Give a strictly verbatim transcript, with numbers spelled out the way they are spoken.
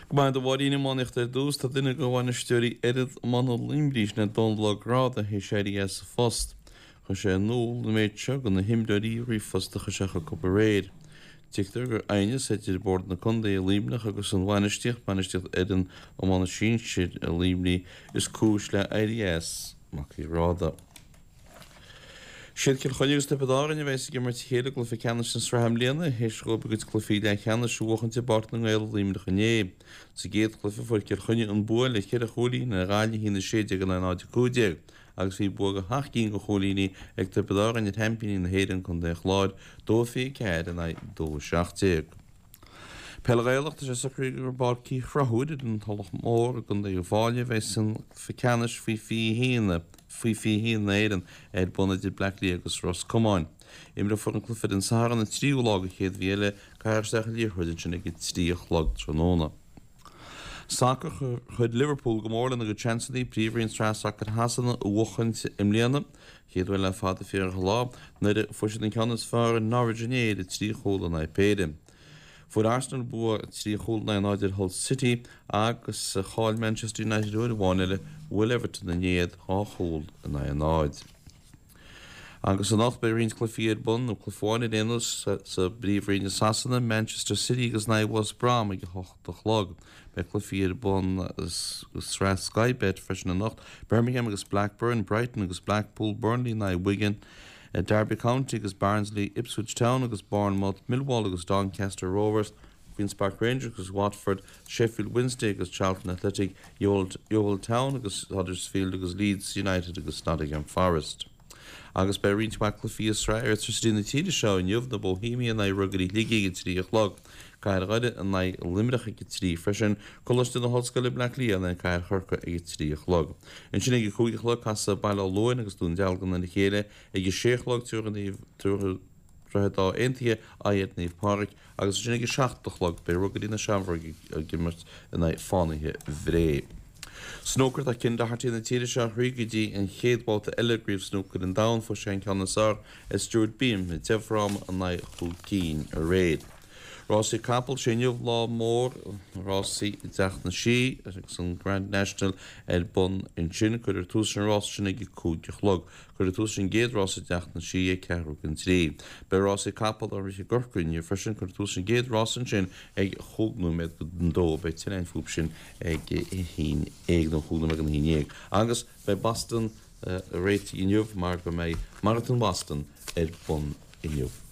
Go maith a Mháirín iománaíocht ar dtús, tá duine de bhainisteoirí fhoireann iomána Luimnigh, sin é Dónal Ó Gráda, théis éirí as a phost. Chuir sé in iúl an méid seo do na himreoirí i ríomhphost a chuir sé chucu aréir. Tuigtear gur aighneas idir Bord na Contae i Luimneach agus an bhainistíocht, bainistíocht fhoireann iomána sinsir i Luimnigh, is cúis le éirí as Mac Uí Ghráda. Siad Cill Chainnigh agus Tiobraid Árann a bheas ag imirt a chéile i gcluiche ceannais na sraithe i mbliana, théis dhóibh a gcuid cluichí leathcheannais a bhuachaint i bPáirc na nGael i Luimneach inné. Sa gcéad chluiche fuair Cill Chainnigh an bua le ceithre chúilín ar Ghaillimh, a haon a sé déag in aghaidh náid a cúig déag, agus bhí bua de sheacht gcinn de chúilíní ag Tiobraid Árann ar sheaimpíní na hÉireann, Contae an Chláir, dó a fiche ceathair in aghaidh dó a seacht déag. Peil Ghaelach, Tá sé socraithe gur i bPáirc Uí Chonchúir ar an Tulach Mhór i gContae Uíbh Fhailí a bheas an cluiche ceannais faoi fiche haon faoi fiche haon na hÉireann ar bun idir Bleá Cliath agus Ros Comáin. Imreofar an cluiche ar an Satharn an tríú lá den chéad mhí eile, caithfear isteach an liathróid ansin ag a trí a chlog tráthnóna. Sacar, Chuir Liverpool go mór lena gcuid seansanna Príomhroinn Sraith Sacair Shasana a bhuachaint i mbliana, chéad uair le fada fíorach an lá, nuair a fuair siad an ceann is fearr ar Norwich inné le trí chúl in aghaidh péire. Fuair Arsenal bua trí chúl in aghaidh náid ar Hull City agus chaill Manchester United uair amháin eile, bhuail Everton a n-éad dhá chúl in aghaidh a náid. Agus anocht beidh roinnt cluichí ar bun, nó cluiche amháin ar aon nós, sa bPríomhroinn i Sasana, Manchester City agus in aghaidh West Brom ag a hocht a chlog. Beidh cluichí ar bun sa sraith Sky Bet freisin anocht, Birmingham agus Blackburn, Brighton agus Blackpool, Burnley in aghaidh Wigan, Derby County agus Barnsley, Ipswich Town agus Bournemouth, Millwall agus Doncaster Rovers, Queens Park Rangers agus Watford, Sheffield Wednesday agus Charlton Athletic, Yeovil Town agus Huddersfield agus Leeds United agus Nottingham Forest. Agus beidh roinnt mhaith cluichí i Sraith Airtricity na tíre seo inniu, na Bohemia in aghaidh Ruagairí Shligigh ag a trí a chlog, Cathair Dhoire in aghaidh Luimneach ag a trí freisin, Coláiste na hOllscoile Bleá Cliath in aghaidh Cathair Chorcaí ag a trí a chlog. Ansin ag a cúig a chlog casfaidh Baile Átha Luain agus Dún Dealgan ar a chéile, Ag a sé a chlog tabharfaidh Droichead Átha Aontaithe aghaidh ar Naomh Pádraig agus ansin ag a seacht a chlog beidh Ruagairí na Seamróige ag imirt in aghaidh Fánaithe Bhré. Snúcar Tá Ken Doherty na tíre seo thríd go dtí an chéad bhabhta eile i gCraobh Snúcair an Domhain. Fuair sé an ceann is fearr ar Stuart Bingham i deich bhfráma in aghaidh chúig cinn aréir. Rásaí Capall, Sé inniu lá mór na rásaí i dTeach na Sí agus an Grand National ar bun ansin. Cuirfear tús leis an rás sin ag a cúig a chlog. Cuirfear tús leis an gcéad rás i dTeach na Sí ag ceathrú don trí. Beidh rásaí capall á rith i gCorcaigh inniu freisin. Cuirfear tús leis an gcéad rás ansin ag chúig nóiméad don dó. Beidh tuilleadh fúthu sin ag a haon déag nó chúig nóiméad don haon déag. Agus beidh Boston réitithe inniu mar go mbeidh Maratón Boston ar bun inniu.